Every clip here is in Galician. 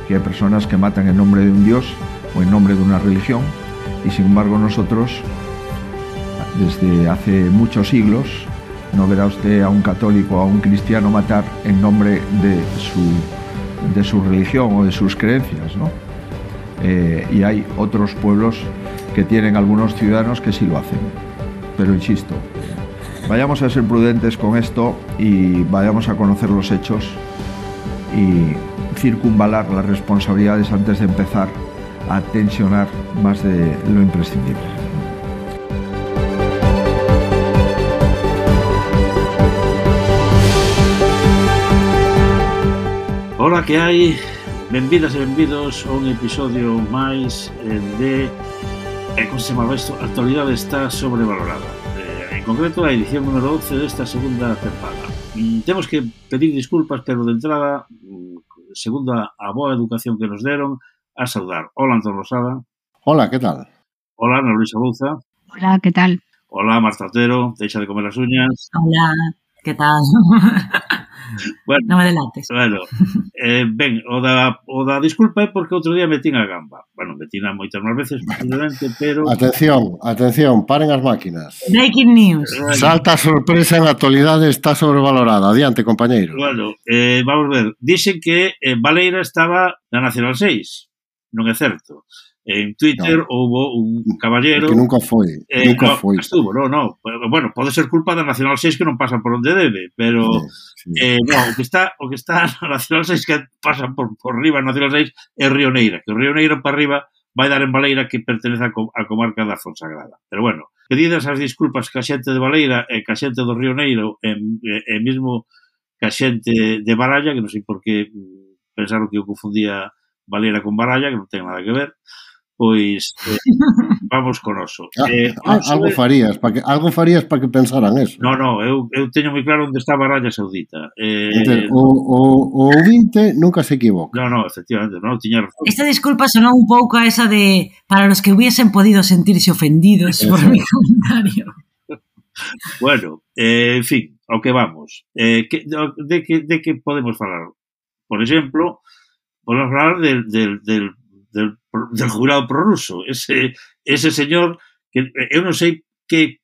que hay personas que matan en nombre de un dios o en nombre de una religión, y sin embargo nosotros, desde hace muchos siglos, no verá usted a un católico o a un cristiano matar en nombre de su religión o de sus creencias, ¿no? Y hay otros pueblos que tienen algunos ciudadanos que sí lo hacen. Pero insisto, vayamos a ser prudentes con esto y vayamos a conocer los hechos y circunvalar las responsabilidades antes de empezar a tensionar más de lo imprescindible. Hola, que hai? Benvidas e benvidos a un episodio máis de como se chamaba isto? A actualidade está sobrevalorada. En concreto, a edición número 12 desta segunda tempada. Temos que pedir disculpas, pero de entrada, segundo a boa educación que nos deron, a saudar. Hola, Antón Rosada. Hola, ¿qué tal? Hola, Ana Luisa Bouza. Hola, ¿qué tal? Hola, Marta Otero. Deixa de comer as uñas. Hola, ¿qué tal? Bueno, non me delates. Bueno, ben, o da disculpa é porque outro día metín a gamba. Bueno, metín a moitas máis veces, posiblemente, pero... Atención, paren as máquinas. Breaking news. Salta a sorpresa, en actualidade está sobrevalorada. Adiante, compañeiro. Bueno, vamos ver. Dixen que Baleira estaba na Nacional 6. Non é certo. En Twitter houbo un caballero... Que nunca foi. Estuvo, no. Bueno, pode ser culpa da Nacional 6 que non pasa por onde debe, pero... Sí. No, o que está na Nacional 6 que pasa por riba na Nacional 6 é Río Neira, que o Río Neira para arriba vai dar en Baleira, que pertenece á comarca da Fonsagrada. Pero bueno, pedidas as disculpas que a xente de Baleira e que a xente do Río Neiro e mesmo que a xente de Baralla, que non sei por que pensaron que eu confundía Baleira con Baralla, que non ten nada que ver. Pois vamos con oso. Algo farías para que pensaran eso. No, eu teño moi claro onde está a Arabia Saudita. O ouvinte nunca se equivoca. No, efectivamente, non tiña razón. Esta disculpa sonó un pouco a esa de para los que hubiesen podido sentirse ofendidos por mi comentario. Bueno, en fin, ao que vamos. De que podemos falar? Por exemplo, podemos falar del jurado prorruso, ese señor que eu non sei que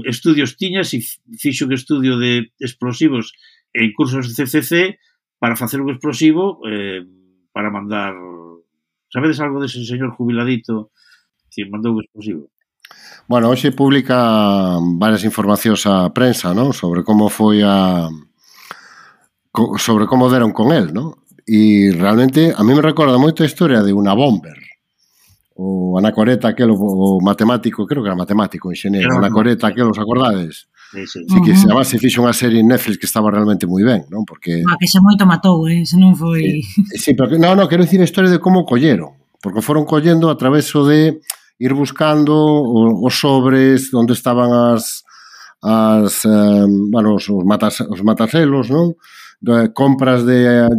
estudios tiña, se fixo que estudio de explosivos en cursos de CCC para facer un explosivo para mandar... Sabedes algo dese señor jubiladito que mandou un explosivo? Bueno, hoxe publica varias informacións a prensa, ¿no? Sobre como foi sobre como deron con él, ¿no? E realmente a mí me recorda moito a historia de unha bomber, o Anacoreta aquel, o matemático, creo que era matemático, enxeñero, Anacoreta aquel, os acordades? Sí. Que además se fixo unha serie en Netflix que estaba realmente moi ben, non? Porque... que se moito matou, se non foi... Sí, pero no, quero dicir a historia de como colleron, porque foron collendo a través de ir buscando os sobres onde estaban os mataselos, non? De compras de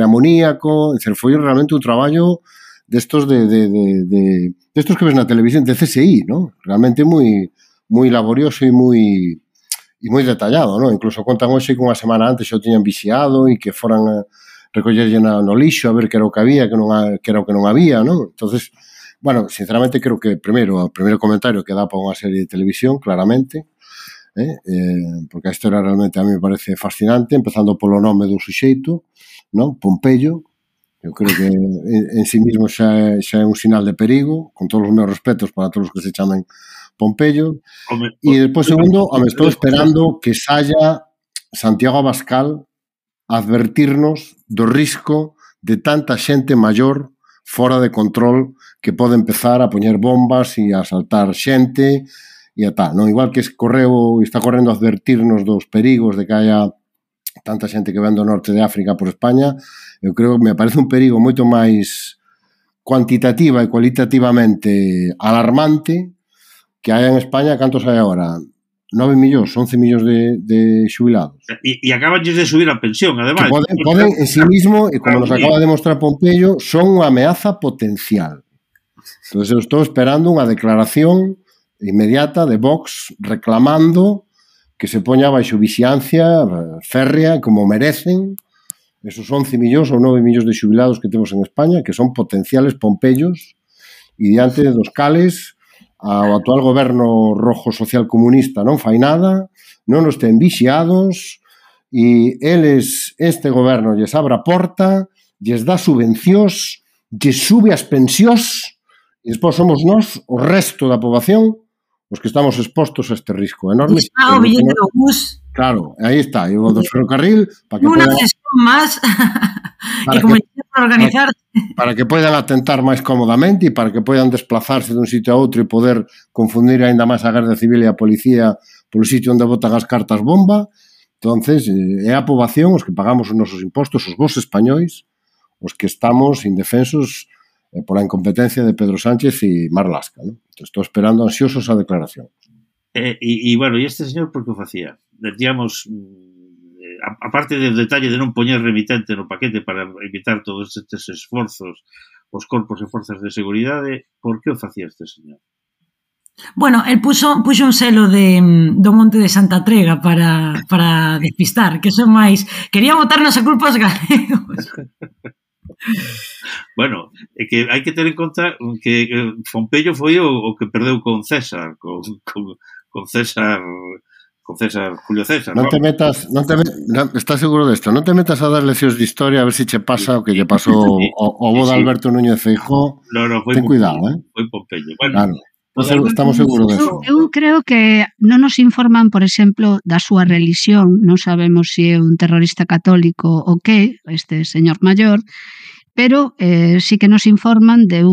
amoníaco, foi realmente un traballo destos destos que ves na televisión de CSI, ¿no? Realmente moi laborioso e moi detallado, ¿no? Incluso contan hoxe que unha semana antes xa o tiñan vixiado e que foran a recollerlle no lixo a ver que era o que había, que era o que non había, ¿no? Entonces, bueno, sinceramente creo que o primeiro comentario que dá para unha serie de televisión, claramente, porque a historia realmente a mí me parece fascinante, empezando polo nome do suxeito, non? Pompeyo. Eu creo que en sí mismo xa é un sinal de perigo, con todos os meus respetos para todos os que se chamen Pompeyo. E despois, segundo, me estou esperando que saia Santiago Abascal a advertirnos do risco de tanta xente maior fora de control que pode empezar a poñer bombas e a asaltar xente e a tal, non? Igual que está correndo a advertirnos dos perigos de que haya tanta xente que ven do norte de África por España, eu creo que me parece un perigo moito máis cuantitativa e cualitativamente alarmante que hai en España. Cantos hai agora? 9 millóns, 11 millóns de xubilados. E acabanlles de subir a pensión, ademais. Poden en sí mismo, e como nos acaba de mostrar Pompeyo, son unha ameaza potencial. Entón, eu estou esperando unha declaración inmediata de Vox reclamando que se poña baixo vixiancia férrea como merecen esos 11 millóns ou 9 millóns de xubilados que temos en España, que son potenciales pompellos, e diante dos cales ao actual goberno rojo social comunista non fai nada, non nos ten vixiados, e eles, este goberno, lles abre a porta, lles dá subvencións, lles sube as pensións, e despois somos nós, o resto da poboación, os que estamos expostos a este risco enorme. Está o billete do bus. Claro, aí está, e o do ferrocarril, para que unha sesión máis, e como para organizar. Para que poidan atentar máis cómodamente e para que poidan desplazarse dun sitio a outro e poder confundir aínda máis a Garda Civil e a Policía polo sitio onde botan as cartas bomba. Entonces, é a poboación, os que pagamos os nosos impostos, os vos españois, os que estamos indefensos pola incompetencia de Pedro Sánchez e Marlaska, ¿no? Estou esperando ansiosos a declaración. Bueno, e este señor por que o facía? Decíamos, aparte do detalle de non poñer remitente no paquete para evitar todos estes esforzos os corpos e forzas de seguridade, por que o facía este señor? Bueno, el puxo un selo do Monte de Santa Trega para despistar, que son máis... Quería botarnos a culpa aos galegos. Bueno, é que hai que ter en conta que Pompello foi o que perdeu con César, con César, Julio César. Non te metas, estás seguro desto? Non te metas a dar leccións de historia a ver se che pasa o que lle pasou ao bo de Alberto Núñez Feijóo. Ten cuidado, Foi Pompello. Bueno, claro. Estamos seguros deso. Eu creo que non nos informan, por exemplo, da súa religión, non sabemos se é un terrorista católico ou que, este señor maior, pero sí que nos informan de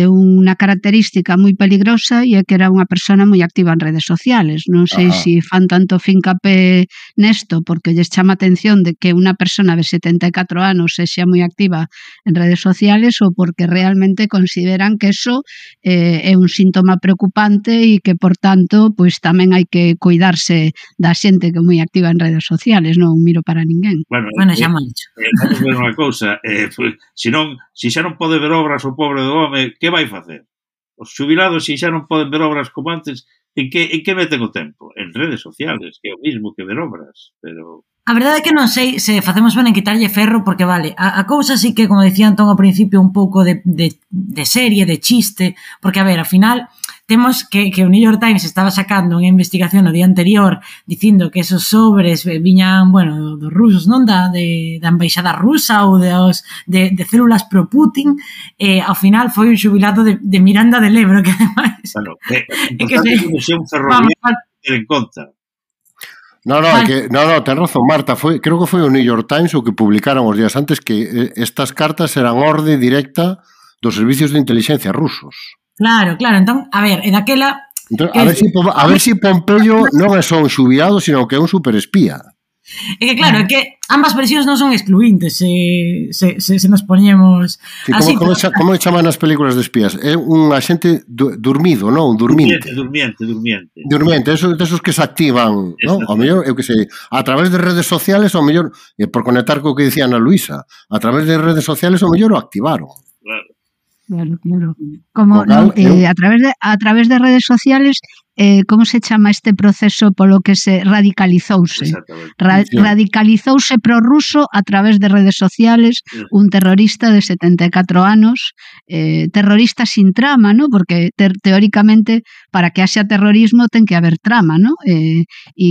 unha característica moi peligrosa e é que era unha persona moi activa en redes sociales. Non sei se fan tanto fincapé nesto porque lles chama atención de que unha persona de 74 anos sexa moi activa en redes sociales ou porque realmente consideran que eso é un síntoma preocupante e que, por tanto, pois tamén hai que cuidarse da xente que é moi activa en redes sociales, non miro para ninguén. Bueno, xa moi dicho. Vamos ver unha cousa, se xa non pode ver obras o pobre do home, que vai facer? Os xubilados, se xa non poden ver obras como antes, en que meten o tempo? En redes sociales, que é o mismo que ver obras, pero... A verdade é que non sei se facemos ben en quitarlle ferro, porque vale, a cousa sí que, como decía Antón ao principio, un pouco de serie, de chiste, porque, a ver, ao final, temos que o New York Times estaba sacando unha investigación no día anterior dicindo que esos sobres viñan, bueno, dos rusos, non? Da embaixada rusa ou de células pro Putin, ao final foi un xubilado de Miranda del Ebro, que ademais... Bueno, importante que non sea un ferroviario ter en conta. No, ten razón, Marta, creo que foi o New York Times o que publicaron os días antes que estas cartas eran orde directa dos servicios de inteligencia rusos. Claro, entón, a ver, e daquela... Entón, a ver si Pompello non é só un xubilado, sino que é un superespía. É que claro, é que ambas versións non son excluintes se nos poñemos así. Como chaman as películas de espías? É un agente dormido, non? Un durmiente. Durmiente, esos que se activan, non? Ao mellor, eu que sei, a través de redes sociales, ao mellor, por conectar co que dicía Ana Luisa, a través de redes sociales, ao mellor o activaron. Claro. Como a través de redes sociales, como se chama este proceso polo que se radicalizouse? Radicalizouse prorruso a través de redes sociales, un terrorista de 74 anos, terrorista sin trama, ¿no? Porque teóricamente para que haxa terrorismo ten que haber trama, ¿no? E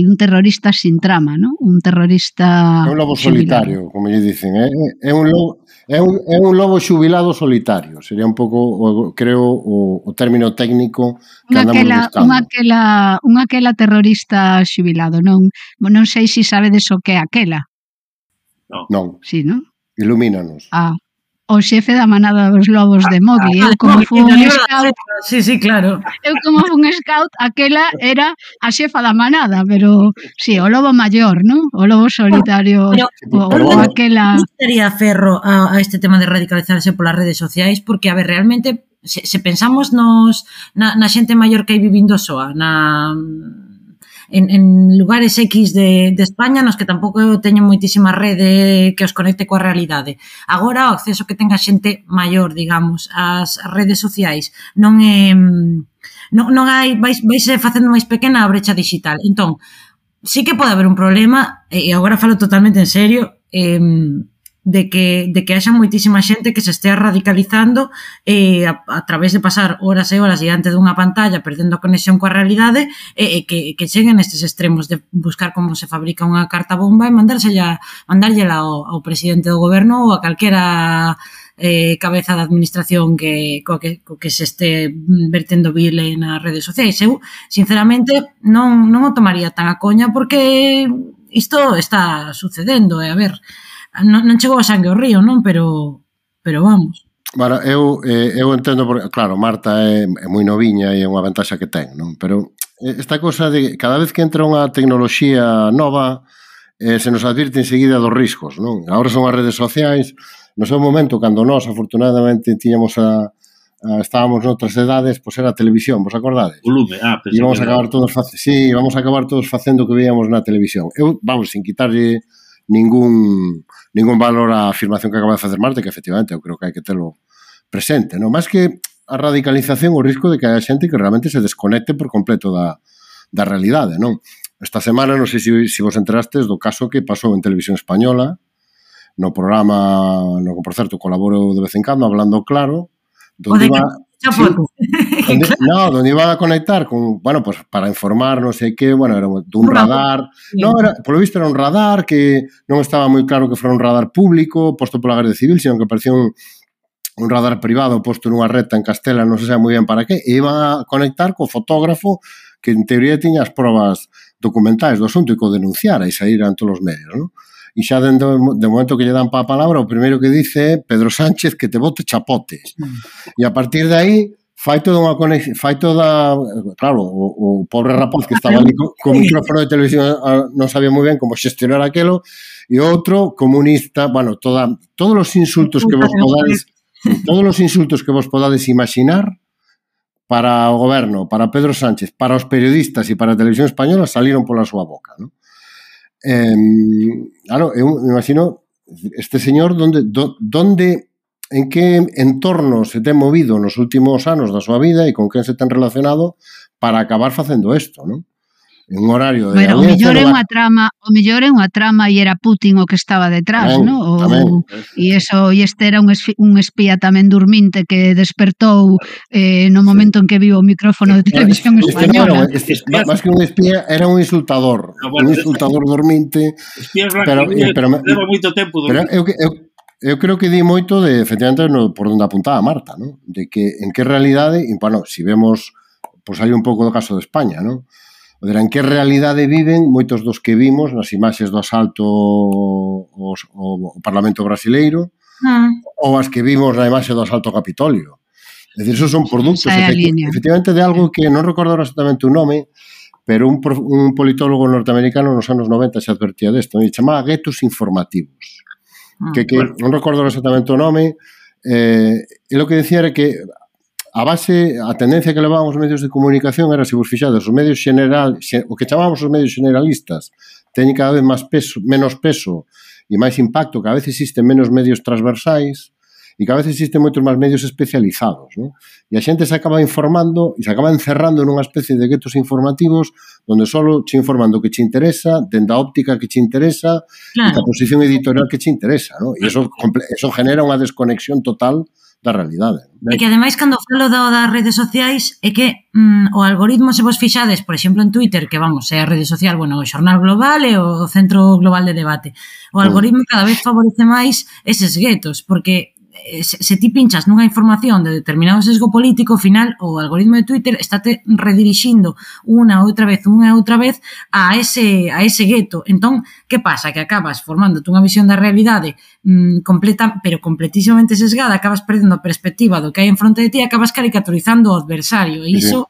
un terrorista sin trama, ¿no? Un terrorista... É un lobo solitario, como lle dicen, é un lobo xubilado solitario, sería un pouco, creo, o término técnico que andamos buscando. Unha aquela terrorista xubilado, non sei se sabedes o que é aquela. Non. Sí, non? Ilumínanos. O xefe da manada dos lobos de Mowgli. Eu como fui un scout... Sí, claro. Eu como fui un scout, aquela era a xefa da manada, pero sí, o lobo maior, non? O lobo solitario. Pero aquela... Non sería ferro a este tema de radicalizarse polas redes sociais, porque, a ver, realmente, se pensamos na xente maior que hai vivindo soa, en lugares X de España nos que tampouco teñen moitísima rede que os conecte coa realidade. Agora, o acceso que tenga xente maior, digamos, ás redes sociais non hai, vaise facendo máis pequena a brecha digital. Entón, sí que pode haber un problema, e agora falo totalmente en serio, de que haxa moitísima xente que se estea radicalizando a través de pasar horas e horas diante dunha pantalla perdendo a conexión coa realidade que cheguen nestes extremos de buscar como se fabrica unha carta bomba e mandárllela ao presidente do goberno ou a calquera cabeza da administración co que se este vertendo vile nas redes sociais. Eu, sinceramente, non o tomaría tan a coña porque isto está sucedendo, a ver, non chegou a sangue ao río, non? Pero vamos. Bueno, eu entendo, porque, claro, Marta é moi noviña e é unha ventaxa que ten, non? Pero esta cosa de cada vez que entra unha tecnoloxía nova se nos advirte enseguida dos riscos, non? Agora son as redes sociais. No seu momento, cando nós, afortunadamente, estábamos noutras edades, pois era a televisión, vos acordades? Volume, e vamos a acabar todos facendo o que veíamos na televisión. Eu, vamos, sin quitarlle ningún valor á afirmación que acaba de facer Marta, que efectivamente eu creo que hai que telo presente, non? Más que a radicalización, o risco de que haya xente que realmente se desconecte por completo da realidade, non? Esta semana, non sei se vos enterastes do caso que pasou en Televisión Española, no programa no que, por certo, colaboro de vez en cando, Hablando Claro, donde iban a conectar con, bueno, pues para informar, non sei que, bueno, era dun radar, polo visto era un radar que non estaba moi claro que fora un radar público posto pola Garda Civil, sino que parecía un radar privado posto nunha reta en Castela, non se sabe moi ben para que, e iban a conectar co fotógrafo que en teoría tiña as probas documentais do asunto e co denunciara e saíran todos os medios, non? E xa de momento que lle dan pa a palabra, o primeiro que dice é Pedro Sánchez que te bote chapote. E a partir de aí fai toda unha conexión, claro, o pobre rapaz que estaba ali co micrófono de televisión non sabía moi ben como xestionar aquelo, e outro comunista, bueno, todos os insultos que vos podades imaginar para o goberno, para Pedro Sánchez, para os periodistas e para a Televisión Española saliron pola súa boca, non? Claro, eu me imagino este señor en que entorno se ten movido nos últimos anos da súa vida e con quen se ten relacionado para acabar facendo isto, non? En un horario de o mellor é unha trama e era Putin o que estaba detrás, non? E este era un espía tamén dorminte que despertou no momento en que viu o micrófono de Televisión Española. Más que un espía, era un insultador dorminte. Pero leva moito tempo dorminte. Eu creo que di moito de, efectivamente, por onde apuntaba Marta, non? De que en que realidade, e, bueno, si vemos, pois hai un pouco do caso de España, non? En que realidade viven moitos dos que vimos nas imaxes do asalto ao Parlamento brasileiro ou as que vimos na imaxe do asalto ao Capitolio. É dicir, esos son produtos efectivamente de algo que non recordo exactamente o nome, pero un politólogo norteamericano nos anos 90 se advertía desto, e chamaba guetos informativos. Que non recordo exactamente o nome, e o que decía era que a tendencia que levaban os medios de comunicación era, se vos fixades, os medios o que chamábamos os medios generalistas teñen cada vez menos peso e máis impacto, cada vez existen menos medios transversais e cada vez existen moitos máis medios especializados, non? E a xente se acaba informando e se acaba encerrando nunha especie de guetos informativos onde só che informan do que che interesa, dende a óptica que che interesa e da posición editorial que che interesa, non? E eso genera unha desconexión total da realidade. E que ademais cando falo das redes sociais é que o algoritmo, se vos fixades, por exemplo en Twitter, que vamos, é a rede social, bueno, o xornal global e o centro global de debate, o algoritmo cada vez favorece máis eses guetos, porque se ti pinchas nunha información de determinado sesgo político, ao final o algoritmo de Twitter estáte redirixindo unha e outra vez a ese gueto. Entón, que pasa? Que acabas formándote unha visión da realidade pero completísimamente sesgada, acabas perdendo a perspectiva do que hai en fronte de ti, acabas caricaturizando o adversario, e iso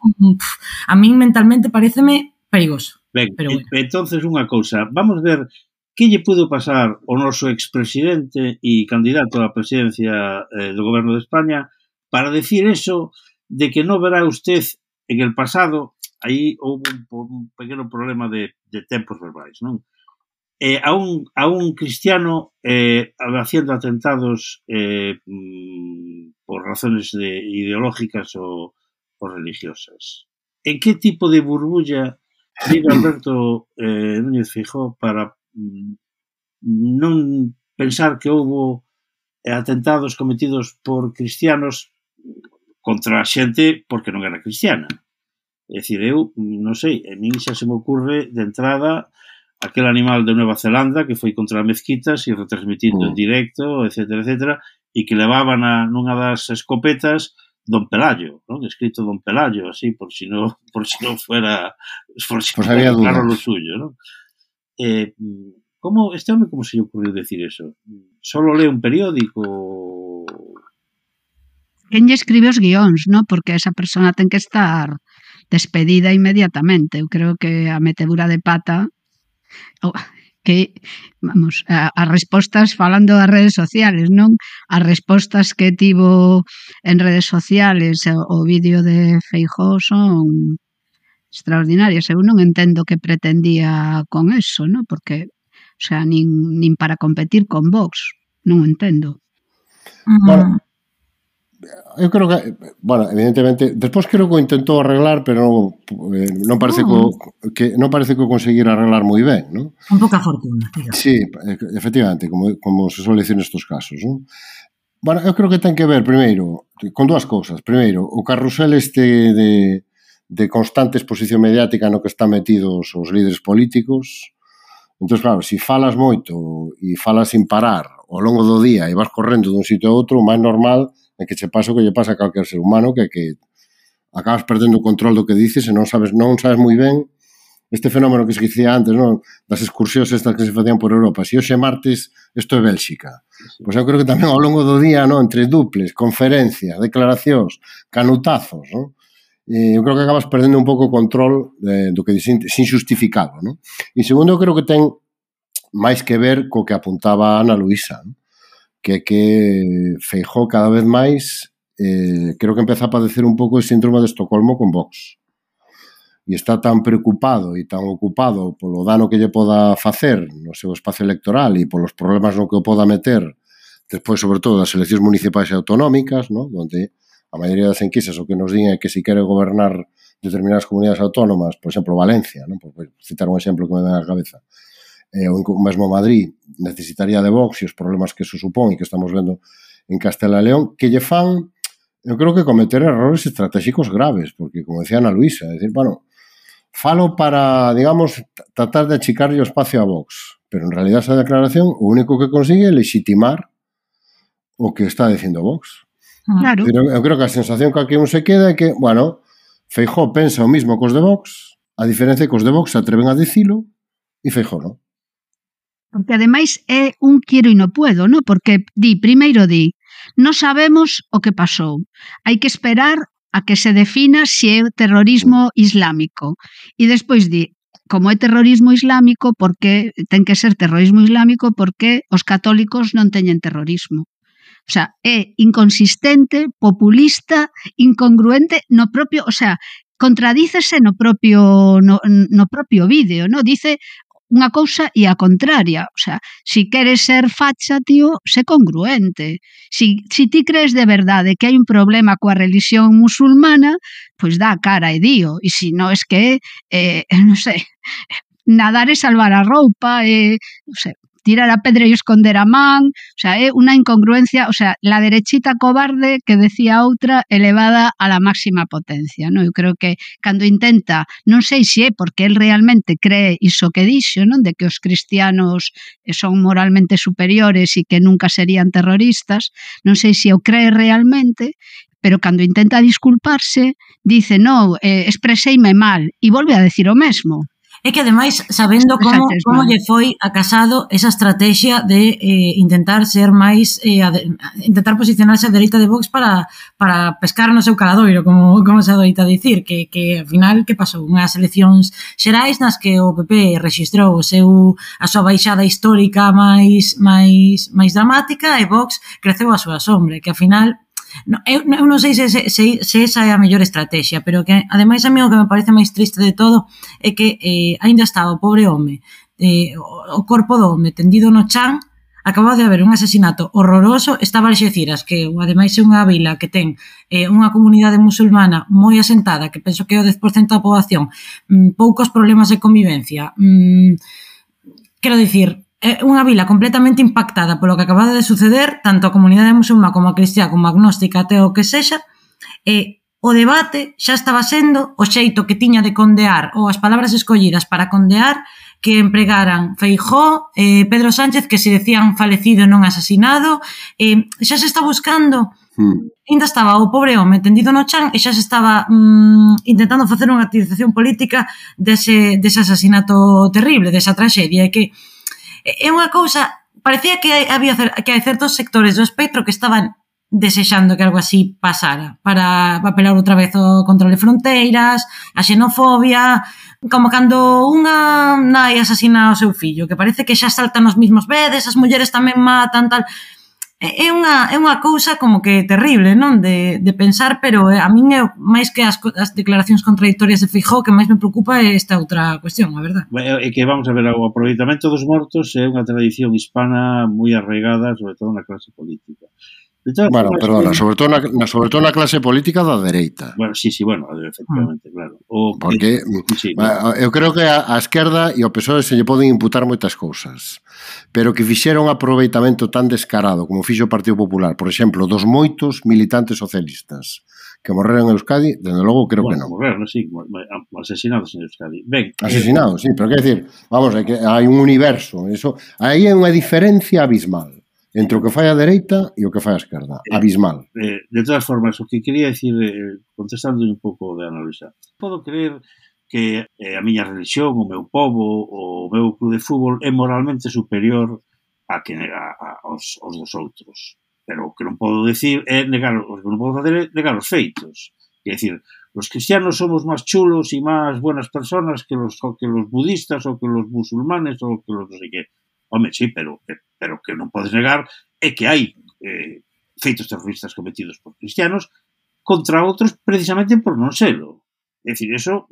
a min mentalmente pareceme perigoso. Ben, entonces unha cousa, vamos ver que lle pudo pasar ao noso expresidente e candidato á presidencia do Goberno de España para decir eso de que non verá usted en el pasado, aí houve un pequeno problema de tempos verbais, non? A un cristiano haciendo atentados por razones ideológicas o religiosas. En que tipo de burbulla vive Alberto Núñez Feijóo para non pensar que houbo atentados cometidos por cristianos contra a xente porque non era cristiana. É dicir, eu, non sei, a mí xa se me ocurre de entrada aquel animal de Nueva Zelanda que foi contra as mezquitas e retransmitindo en directo, etcétera, etcétera, e que levaban nunha das escopetas Don Pelayo, non? Escrito Don Pelayo, así, por si non fuera claro lo suyo, non? Como este home, como se lle ocurriu decir eso? Solo lee un periódico? Quen lle escribe os guións, non? Porque esa persona ten que estar despedida inmediatamente. Eu creo que a metedura de pata que, vamos, as respostas, falando das redes sociales, non? As respostas que tivo en redes sociales o vídeo de Feijóo son extraordinarias. Eu non entendo que pretendía con eso, non? Porque o sea, nin para competir con Vox. Non entendo. Bueno, eu creo que, bueno, evidentemente, despois creo que o intentou arreglar, pero non parece que non parece que o conseguir arreglar moi ben, non? Un pouca fortuna, digamos. Sí, efectivamente, como se suele decir nestos casos, non? Bueno, eu creo que ten que ver, primeiro, con dúas cousas. Primeiro, o carrusel de constante exposición mediática no que están metidos os líderes políticos. Entón, claro, se falas moito e falas sin parar ao longo do día e vas correndo dun sitio a outro, o máis normal é que che pasa o que lle pasa a calquer ser humano, que acabas perdendo o control do que dices e non sabes moi ben este fenómeno que se dicía antes, non? Das excursións estas que se facían por Europa. Se hoxe martes, isto é Bélxica. Pois eu creo que tamén ao longo do día, non? Entre duples, conferencias, declaracións, canutazos, non? Eu creo que acabas perdendo un pouco o control do que sin justificado, non? E segundo, eu creo que ten máis que ver co que apuntaba Ana Luisa, non? Que Feijóo cada vez máis creo que empeza a padecer un pouco de síndrome de Estocolmo con Vox. E está tan preocupado e tan ocupado polo dano que lle poda facer no seu espacio electoral e polos problemas no que o poda meter despois, sobre todo, das eleccións municipais e autonómicas, non? Onde a maioría das enquisas o que nos din é que se quere gobernar determinadas comunidades autónomas, por exemplo, Valencia, non? Por citar un exemplo que me ven á cabeza, ou mesmo Madrid, necesitaría de Vox e os problemas que eso supón e que estamos vendo en Castela e León, que lle fan, eu creo que cometer errores estratégicos graves, porque, como decía Ana Luisa, é dicir, bueno, falo para, digamos, tratar de achicarlle o espacio a Vox, pero en realidad esa declaración o único que consigue é legitimar o que está dicindo Vox. Claro. Pero eu creo que a sensación que aquí un se queda é que, bueno, Feijóo pensa o mismo cos de Vox, a diferencia que os de Vox se atreven a dicilo e Feijóo non. Porque ademais é un quiero e non puedo, non? Porque primeiro non sabemos o que pasou. Hai que esperar a que se defina se é terrorismo islámico. E despois como é terrorismo islámico, porque ten que ser terrorismo islámico porque os católicos non teñen terrorismo. O sea, é inconsistente, populista, incongruente no propio, o sea, contradícese no propio vídeo, no? Dice unha cousa e a contraria. O sea, si queres ser facha, tío, sé congruente. Si ti crees de verdade que hai un problema coa religión musulmana, pois dá a cara e dío. E si non, es que non sei, nadar e salvar a roupa, non sei, tirar a pedra e esconder a man, o sea, é unha incongruencia, o sea, la derechita cobarde que decía outra elevada a la máxima potencia, non? Eu creo que cando intenta, non sei se é porque el realmente cree iso que dixo, non? De que os cristianos son moralmente superiores e que nunca serían terroristas, non sei se o cree realmente, pero cando intenta disculparse, dice, non, expreseime mal, e volve a decir o mesmo. É que, ademais, sabendo como lle foi a Casado esa estrategia de intentar ser máis, intentar posicionarse a dereita de Vox para pescar no seu caladoiro, como se adoita dicir, que ao final, que pasou? Unhas eleccións xerais nas que o PP rexistrou a súa baixada histórica máis dramática e Vox creceu a súa sombra, que ao final... Eu non sei se esa é a mellor estrategia, pero que ademais a mí o que me parece máis triste de todo é que aínda estaba o pobre home, o corpo do home tendido no chan, acababa de haber un asesinato horroroso, estaba Alxeciras, que ademais é unha vila que ten unha comunidade musulmana moi asentada, que penso que é o 10% da poboación, poucos problemas de convivencia. Quero dicir, é unha vila completamente impactada polo que acababa de suceder, tanto a comunidade musulmá como a cristiá, como a agnóstica, até o que sexa, e o debate xa estaba sendo o xeito que tiña de condear, ou as palabras escollidas para condear, que empregaran Feijóo, Pedro Sánchez, que se decían falecido e non asasinado, xa se está buscando... Ainda estaba o pobre home tendido no chan e xa se estaba intentando facer unha activización política dese asasinato terrible, desa traxedia, e que é unha cousa, parecía que hai certos sectores do espectro que estaban desexando que algo así pasara para apelar outra vez ao control de fronteiras, a xenofobia, como cando unha nai asasina o seu fillo, que parece que xa saltan os mismos vedes, as mulleres tamén matan, tal... É unha cousa como que terrible, non? De pensar, pero a min é máis que as declaracións contradictorias de Feijóo, que máis me preocupa é esta outra cuestión, a verdad. É que vamos a ver, o aproveitamento dos mortos é unha tradición hispana moi arraigada, sobre todo na clase política. Bueno, perdona, sobre todo na clase política da dereita. Bueno, sí, bueno, efectivamente, claro. Porque eu creo que a esquerda e o PSOE se lle poden imputar moitas cousas, pero que fixeron un aproveitamento tan descarado como fixo o Partido Popular, por exemplo, dos moitos militantes socialistas que morreron en Euskadi, desde logo creo que non. Morreron, sí, asesinados en Euskadi. Ben, asesinados, sí, pero que decir, vamos, hai un universo, eso, aí é unha diferencia abismal entre o que fai a dereita e o que fai a esquerda. Abismal. De todas formas, o que quería decir, contestando un pouco de Ana Luisa, podo creer que a miña religión, o meu povo, o meu club de fútbol é moralmente superior aos dos outros. Pero o que non podo decir é negar os feitos. É dicir, os cristianos somos máis chulos e máis buenas personas que los budistas ou que los musulmanes ou que los non sei que. Home, sí, pero que non podes negar é que hai feitos terroristas cometidos por cristianos contra outros precisamente por non selo. É dicir, eso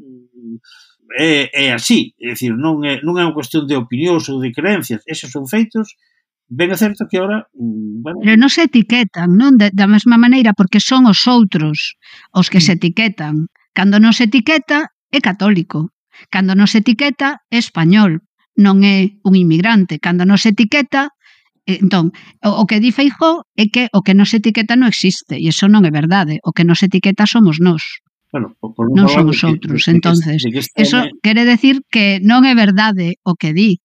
é así. É dicir, non é unha cuestión de opinións ou de creencias. Esos son feitos. Ben é certo que ahora... Bueno, pero non se etiquetan, non? Da mesma maneira, porque son os outros os que se etiquetan. Cando non se etiqueta, é católico. Cando non se etiqueta, é español. Non é un inmigrante. Cando non se etiqueta, entón, o que di Feijóo é que o que non se etiqueta non existe, e iso non é verdade. O que non se etiqueta somos nós. Bueno, non son os outros. Entonces, eso quere decir que non é verdade o que di.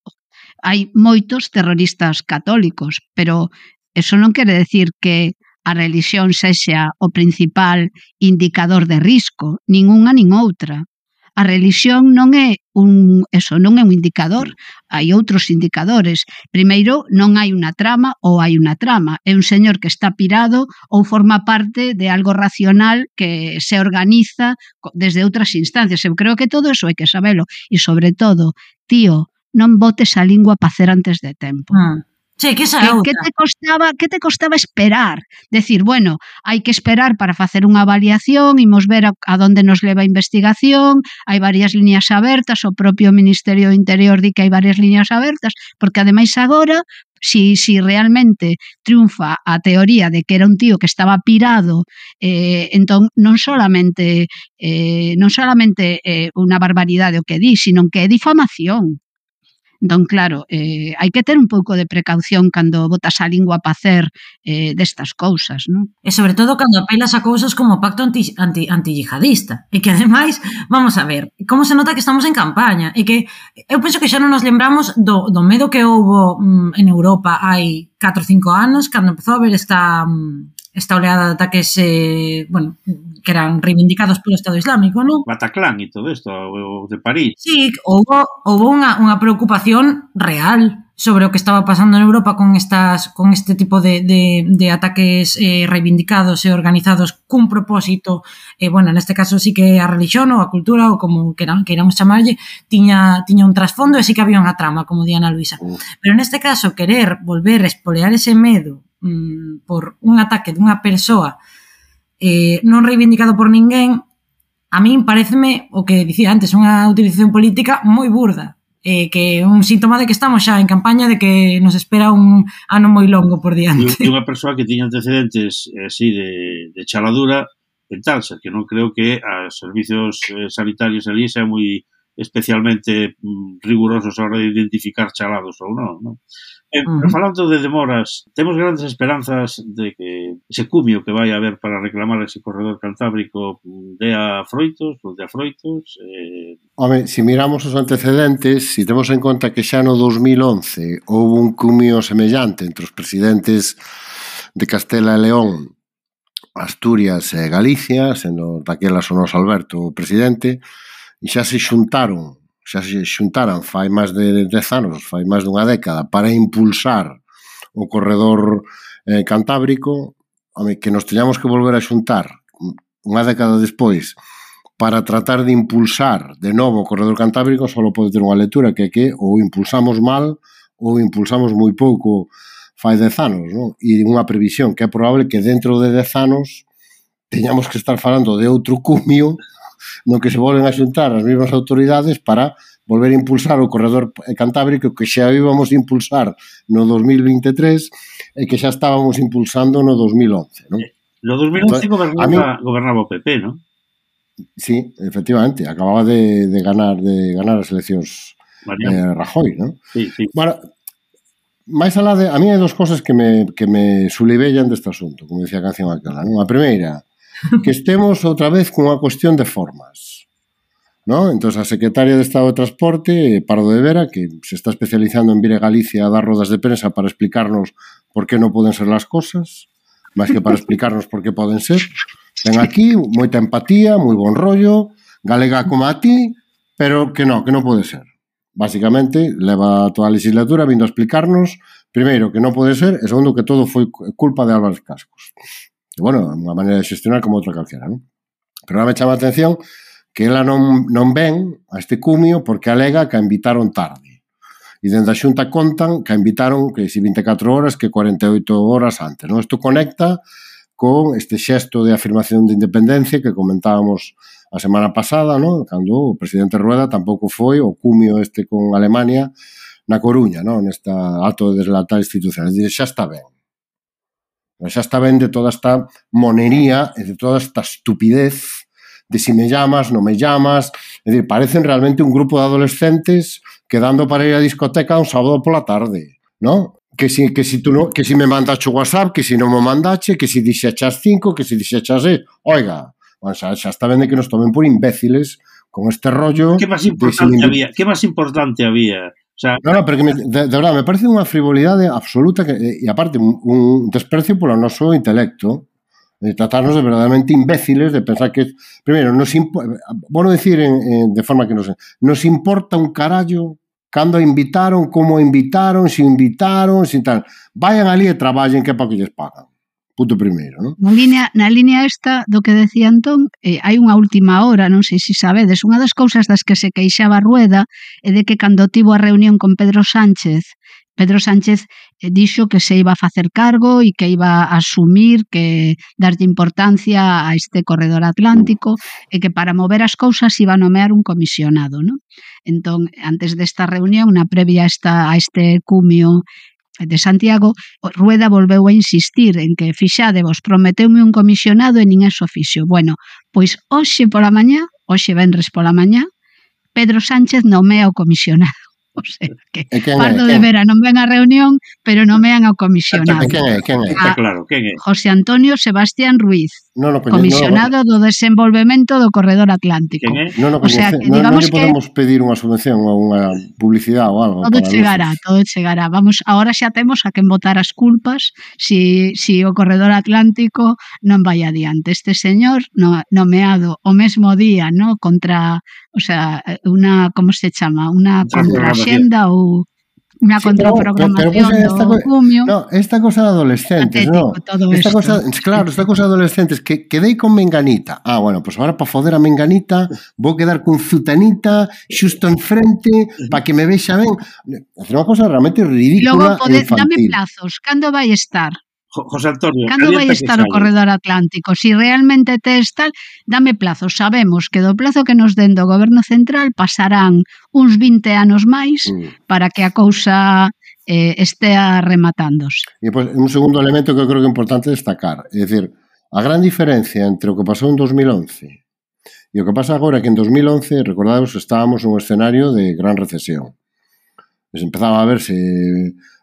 Hai moitos terroristas católicos, pero eso non quere decir que a religión sexa o principal indicador de risco, nin unha nin outra. A religión non é un indicador, hai outros indicadores. Primeiro, non hai unha trama ou hai unha trama. É un señor que está pirado ou forma parte de algo racional que se organiza desde outras instancias. Eu creo que todo eso hai que sabelo. E sobre todo, tío, non botes a lingua pa hacer antes de tempo. Sí, que esa é outra. Que te costaba esperar? Decir, bueno, hai que esperar para facer unha avaliación, imos ver a donde nos leva a investigación, hai varias liñas abertas, o propio Ministerio do Interior di que hai varias liñas abertas, porque ademais agora, si realmente triunfa a teoría de que era un tío que estaba pirado, entón non solamente unha barbaridade o que di, sino que é difamación. Entón, claro, hai que ter un pouco de precaución cando botas a lingua pa hacer destas cousas, non? E sobre todo cando apelas a cousas como o pacto antiyihadista. E que, ademais, vamos a ver, como se nota que estamos en campaña. E que eu penso que xa non nos lembramos do medo que houbo en Europa hai 4 ou 5 anos, cando empezou a haber esta oleada de ataques que eran reivindicados polo Estado Islámico, non? Bataclan e todo isto, o de París. Sí, houve unha preocupación real sobre o que estaba pasando en Europa con este tipo de ataques reivindicados e organizados cun propósito, neste caso sí que a religión ou a cultura ou como queiramos chamarlle, tiña un trasfondo e sí que había unha trama, como di Ana Luisa. Pero neste caso, querer volver a espolear ese medo por un ataque dunha persoa non reivindicado por ninguén, a min pareceme, o que dicía antes, unha utilización política moi burda, que é un síntoma de que estamos xa en campaña, de que nos espera un ano moi longo por diante. E unha persoa que tiña antecedentes así de chaladura en Talsa, que non creo que os servicios sanitarios ali sean moi especialmente rigurosos a hora de identificar chalados ou non? Pero falando de demoras, temos grandes esperanzas de que ese cumio que vai haber para reclamar ese corredor cantábrico dea froitos, ou dea froitos. Home, se miramos os antecedentes, se temos en conta que xa no 2011 houve un cumio semellante entre os presidentes de Castela e León, Asturias e Galicia, sendo daquela Sonos Alberto o presidente, e xa se xuntaran fai máis de 10 anos, fai máis dunha década, para impulsar o corredor cantábrico, que nos teñamos que volver a xuntar unha década despois para tratar de impulsar de novo o corredor cantábrico, só pode ter unha lectura que é que ou impulsamos mal ou impulsamos moi pouco fai 10 anos, non? E unha previsión que é probable que dentro de 10 anos teñamos que estar falando de outro cumio no que se volven a xuntar as mesmas autoridades para volver a impulsar o corredor cantábrico que xa íbamos a impulsar no 2023 e que xa estábamos impulsando no 2011, non? No 2011 gobernaba o PP, non? Sí, efectivamente, acababa de ganar as eleccións Rajoy, non? Sí. Bueno, máis alá de... A mí hai dos cosas que me sulibellan deste asunto, como decía a canción aquela, non? A primeira, que estemos outra vez cunha cuestión de formas, ¿no? Entón, a secretaria de Estado de Transporte, Pardo de Vera, que se está especializando en vir a Galicia a dar rodas de prensa para explicarnos por qué non poden ser las cosas, máis que para explicarnos por qué poden ser. Ven aquí, moita empatía, moi bon rollo, galega como a ti, pero que non pode ser. Básicamente, leva toda a legislatura vindo a explicarnos, primeiro, que non pode ser, e segundo, que todo foi culpa de Álvarez Cascos. E, bueno, unha maneira de xestionar como outra calquera, non? Pero ahora me chama a atención que ela non ven a este cumio porque alega que a invitaron tarde. E dende a Xunta contan que a invitaron que si 24 horas, que 48 horas antes, non? Isto conecta con este xesto de afirmación de independencia que comentábamos a semana pasada, non? Cando o presidente Rueda tampouco foi o cumio este con Alemania na Coruña, non? Nesta acto de deslatar institucional. Dice, xa está ben. Xa está ben de toda esta monería e de toda esta estupidez de si me llamas, non me llamas. É dicir, parecen realmente un grupo de adolescentes quedando para ir a discoteca un sábado pola tarde, non? Que si me mandache o WhatsApp, que si non me mandache, que si dixechas 5, que si dixechas 6. Oiga, xa está ben de que nos tomen por imbéciles con este rollo. Que máis importante había? O sea, No, pero que de verdade, me parece unha frivolidade absoluta e aparte un desprecio polo noso intelecto, de tratarnos de verdadeiramente imbéciles, de pensar que, primeiro, bueno decir de forma que nos importa un carallo cando invitaron, como invitaron, si tal. Vayan ali e traballen que é para que lles pagan. Punto primeiro, non? Na línea esta do que decía Antón, hai unha última hora, non sei se sabedes, unha das cousas das que se queixaba Rueda é de que cando tivo a reunión con Pedro Sánchez dixo que se iba a facer cargo e que iba a asumir, que darlle importancia a este corredor atlántico e que para mover as cousas iba a nomear un comisionado, non? Entón, antes desta reunión, na previa a este cumio de Santiago, Rueda volveu a insistir en que, fixadevos, prometeume un comisionado e nin eso fixo. Bueno, pois hoxe venres pola mañá, Pedro Sánchez nomea o comisionado. O sea, que Pardo de Vera non ven a reunión, pero nomean ao comisionado. Quen é? Está claro, quen é? José Antonio Sebastián Ruiz, comisionado do desenvolvemento do corredor atlántico. Non lle podemos pedir unha subvención ou unha publicidade ou algo. Todo chegará. Vamos, ahora xa temos a quen botar as culpas si o corredor atlántico non vai adiante. Este señor nomeado o mesmo día, ¿no? Contra, o sea, unha, como se chama? Unha contraxenda ou unha contraprogramación do cumio. No, esta cosa de adolescentes, patético, no. Esta cosa de adolescentes que quedei con Menganita. Bueno, pues ahora para foder a Menganita vou quedar con Zutanita xusto enfrente para que me vexa ben. É unha cosa realmente ridícula e infantil. Dame plazos, cando vai estar? José Antonio, cando vai estar o corredor atlántico? Si realmente tes tal, dame plazos. Sabemos que do plazo que nos den do Goberno Central pasarán uns 20 anos máis para que a cousa estea rematándose. E pois, un segundo elemento que eu creo que é importante destacar, é dicir, a gran diferencia entre o que pasou en 2011 e E o que pasa agora é que en 2011, recordados, estábamos nun escenario de gran recesión. Empezaba a verse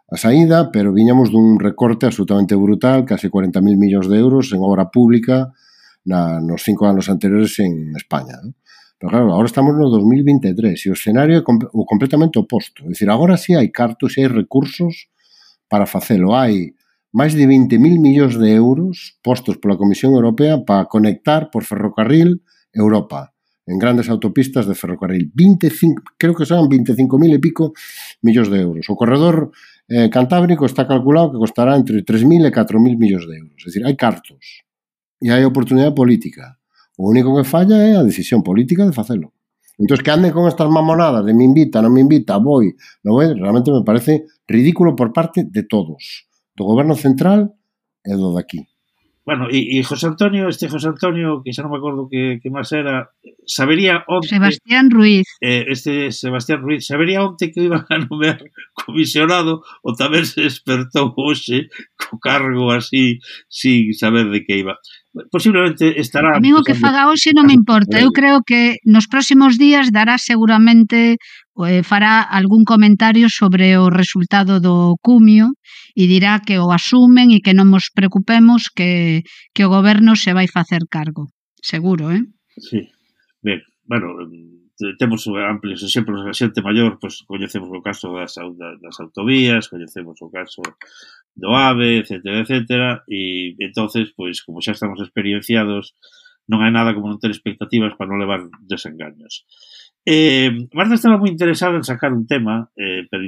a saída, pero viñamos dun recorte absolutamente brutal, case 40.000 millóns de euros en obra pública nos 5 anos anteriores en España, non? Pero claro, agora estamos no 2023 e o escenario é completamente oposto. É dicir, agora sí hai cartos e hai recursos para facelo. Hai máis de 20.000 millóns de euros postos pola Comisión Europea para conectar por ferrocarril Europa en grandes autopistas de ferrocarril. Creo que son 25.000 e pico millóns de euros. O corredor cantábrico está calculado que costará entre 3.000 e 4.000 millóns de euros. É dicir, hai cartos e hai oportunidade política. O único que falla é a decisión política de facelo. Entón, que anden con estas mamonadas de me invita, non me invita, voy, non voy, realmente me parece ridículo por parte de todos. Do goberno central e do daqui. Bueno, e José Antonio, que xa non me acordo que máis era, sabería onte... Sebastián Ruiz. Sebastián Ruiz, sabería onte que iban a nomear comisionado ou tamén se despertou hoxe co cargo así, sin saber de que iba. Posiblemente estará... A mí o que faga hoxe non me importa. Eu creo que nos próximos días dará seguramente, fará algún comentario sobre o resultado do cumio e dirá que o asumen e que non nos preocupemos que o goberno se vai facer cargo. Seguro, Sí. Ben, bueno, temos amplios exemplos da xente maior, pois coñecemos o caso das autovías, coñecemos o caso do AVE, etcétera, e entonces, pois, como xa estamos experienciados, non hai nada como non ter expectativas para non levar desengaños. Marta estaba moi interesada en sacar un tema, pero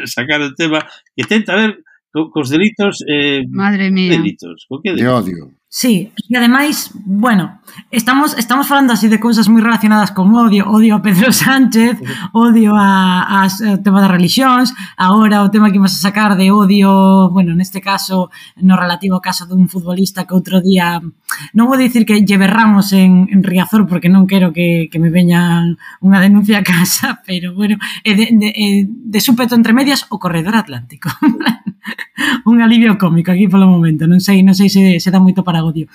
sacar un tema que tenta ver cos delitos... Madre mía. Delitos, con que de odio. Sí, e ademais, bueno, estamos falando así de cousas moi relacionadas con odio a Pedro Sánchez, odio ao tema das religións, agora o tema que imos a sacar de odio, bueno, neste caso, no relativo ao caso dun futbolista que outro día, non vou dicir que lle berramos en Riazor, porque non quero que me veñan unha denuncia a casa, pero bueno, de súpeto entre medias o corredor atlántico. Un alivio cómico aquí polo momento, non sei se dá moito para odio.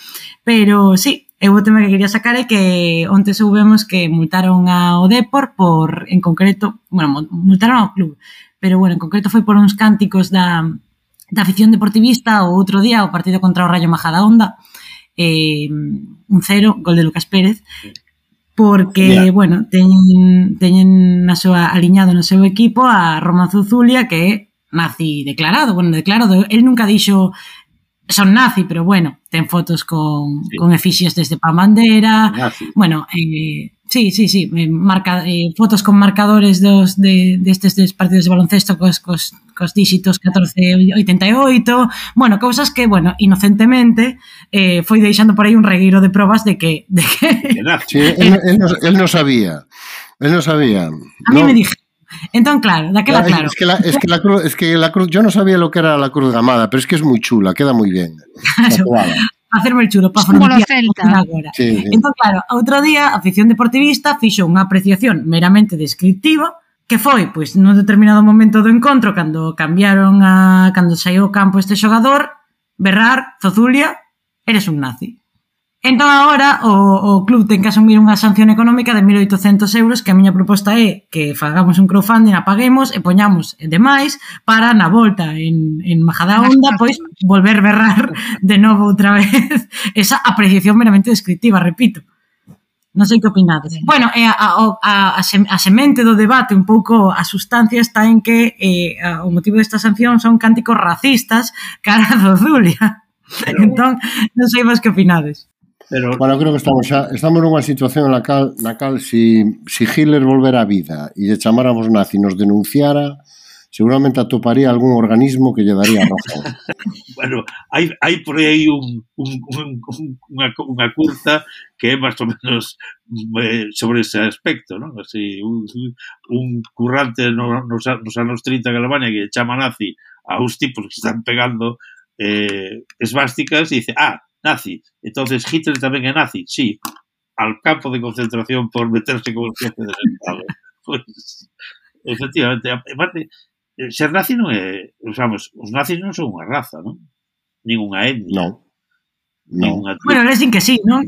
Pero sí, o tema que quería sacar é que onte soubemos que multaron ao Depor por, en concreto, bueno, multaron ao club, pero bueno, en concreto foi por uns cánticos da afición deportivista o outro día o partido contra o Rayo Majadahonda, 1-0, gol de Lucas Pérez, porque, bueno, teñen na súa aliñado no seu equipo a Roman Zuzulia, que é nazi declarado, él nunca dixo son nazi, pero bueno, ten fotos con efixies desde pa bandera, bueno, sí, fotos con marcadores destes partidos de baloncesto cos díxitos 1488, bueno, cousas que, bueno, inocentemente foi deixando por aí un regueiro de probas de que sí, él no sabía. A mí me dije. Entón, claro, daquela claro. Es que la cruz, yo no sabía lo que era la cruz gamada, pero es que es muy chula, queda muy bien. Claro, hacerme el chulo para frontear agora. Sí. Entón, claro, outro día, a afición deportivista fixo unha apreciación meramente descriptiva, que foi, pois, nun determinado momento do encontro, cando saiu ao campo este xogador, berrar, Zozulia, eres un nazi. Entón, agora, o club ten que asumir unha sanción económica de 1.800 euros, que a miña proposta é que fagamos un crowdfunding, apaguemos e poñamos demais para, na volta en Majadahonda, pois, volver berrar de novo outra vez esa apreciación meramente descriptiva, repito. Non sei que opinades. Bueno, a semente do debate, un pouco a sustancia está en que o motivo desta sanción son cánticos racistas cara a Zozulia. Entón, non sei vos que opinades. Pero... Bueno, creo que estamos nunha situación na cal si Hitler volvera á vida e lle chamáramos nazi e nos denunciara, seguramente atoparía algún organismo que lle daría razón. Bueno, hai por aí unha curta que é máis ou menos sobre ese aspecto, non? Así, un currante nos anos 30 en Alemania que chama nazi a uns tipos que están pegando esvásticas e dice, nazi. Entonces, Hitler tamén é nazi. Sí, al campo de concentración por meterse con el jefe del Estado. Pues, efectivamente, aparte, ser nazi non é... Vamos, os nazis non son unha raza, non? Nin unha etnia. Non. Bueno, les din que sí, non?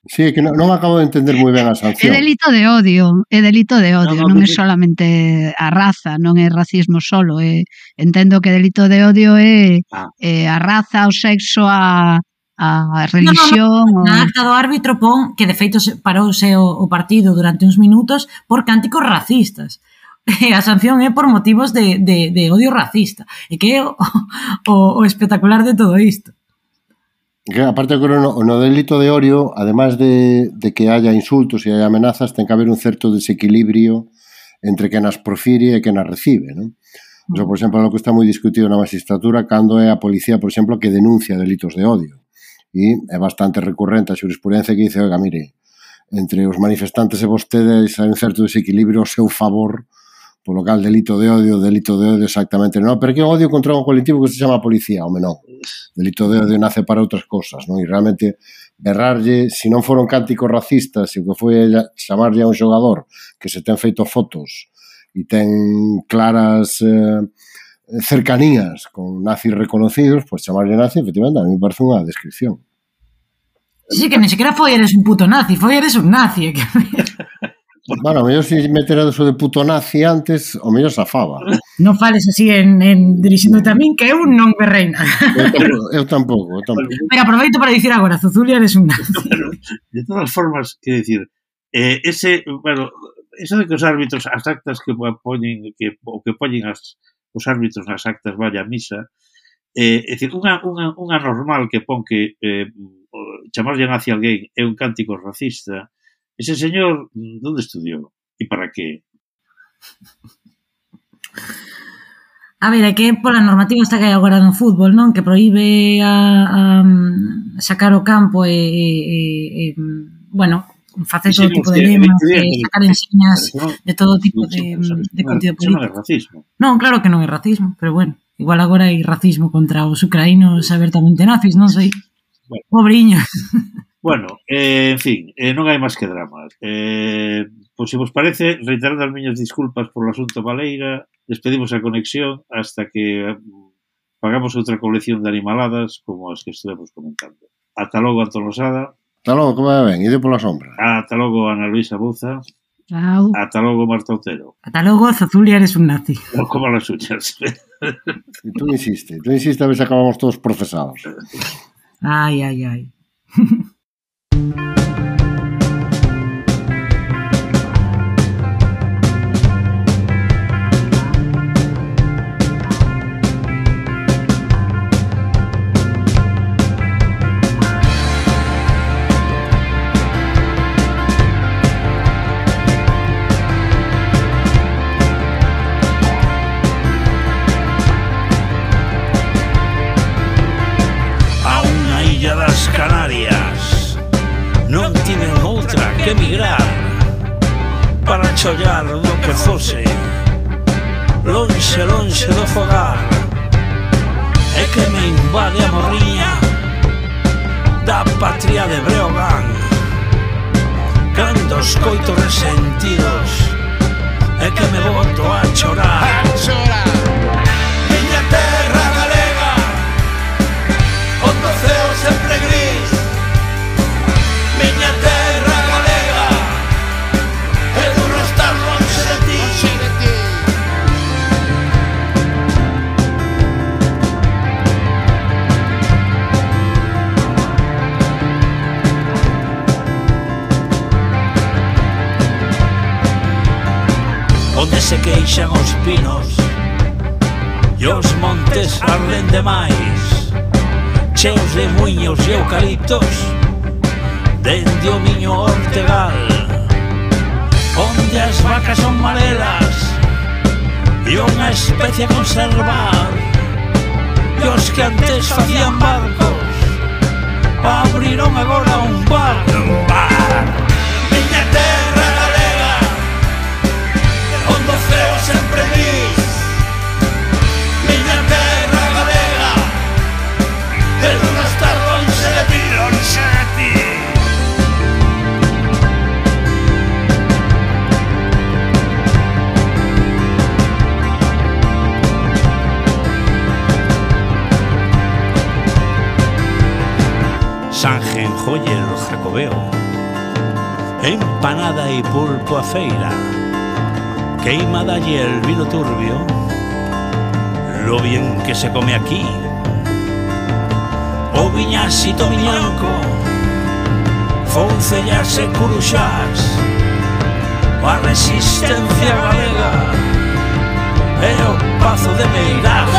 Sí, que non acabo de entender moi ben a sanción. É delito de odio, non é solamente a raza, non é racismo solo, entendo que delito de odio é a raza, o sexo, a religión... Na acta do árbitro pon que de feito parouse o partido durante uns minutos por cánticos racistas. E a sanción é por motivos de odio racista. E que é o espectacular de todo isto. Que, aparte, no delito de odio, además de que haya insultos e haya amenazas, ten que haber un certo desequilibrio entre quen as profire e quen as recibe, non? Eso, por exemplo, é o que está moi discutido na magistratura cando é a policía, por exemplo, que denuncia delitos de odio. E é bastante recurrente a xurisprudencia que dice, oiga, mire, entre os manifestantes e vostedes hai un certo desequilibrio ao seu favor, polo cal delito de odio exactamente non, pero que odio contra un colectivo que se chama policía, home non. Delito de odio nace para outras cosas, non? E realmente berrarlle, se non foron cánticos racistas, se o que foi chamarlle a un xogador que se ten feito fotos e ten claras cercanías con nazis reconocidos, pois chamarlle nazi, efectivamente, a mí me parece unha descripción. Sí, que ni sequera foi eres un puto nazi, foi eres un nazi. Bueno, o mellor se meter eso de puto nazi antes, o mellor zafaba. Non fales así dirixíndote a min, que eu non berrei nada. Eu tampouco. Pero aproveito para dicir agora, Zuzulia eres un nazi. De todas formas, que decir, eso de que os árbitros, as actas que poñen, o que poñen os árbitros nas actas vaya a misa, é dicir, unha normal que pon que chamarlle nazi a alguén é un cántico racista. Ese señor, ¿dónde estudió? ¿Y para qué? A ver, é que pola normativa esta que hai agora no fútbol, non? Que proíbe a sacar o campo bueno, facer todo tipo de lemas, sacar enseñas de todo tipo de contido político. Non é racismo. Non, claro que non é racismo, pero bueno, igual agora hai racismo contra os ucraínos abertamente nazis, non sei. Pobriños. Bueno, en fin, non hai máis que dramas. Pois se vos parece, reiterando as miñas disculpas por o asunto Baleira, despedimos a conexión hasta que pagamos outra colección de animaladas como as que estuvemos comentando. Ata logo, Antón Losada. Ata logo, como ben, ide pola sombra. Ata logo, Ana Luisa Buza. Chao. Ata logo, Marta Otero. Ata logo, Zuzulia eres un nazi. Non como las uñas. E tú insiste a ver se acabamos todos procesados. Ai. Que emigrar para chollar do que fose lonxe do fogar é que me invade a morriña da patria de Breogán cando escoito resentidos é que me boto a chorar miña terra galega onde o ceo sempre gris miña terra onde se queixan os pinos e os montes arden demais cheos de muiños e eucaliptos dende o miño Ortegal onde as vacas son marelas e unha especie a conservar e os que antes facían barcos abriron agora un bar miña terra galega onde o ceo sempre gris miña terra galega e non estar lonxe de ti Sangen, Joyer, Jacobeo empanada y pulpo a feira, queima dalle el vino turbio, lo bien que se come aquí. O viñasito miñanco, foncellas e curuxás, a resistencia galega e o pazo de Meirás.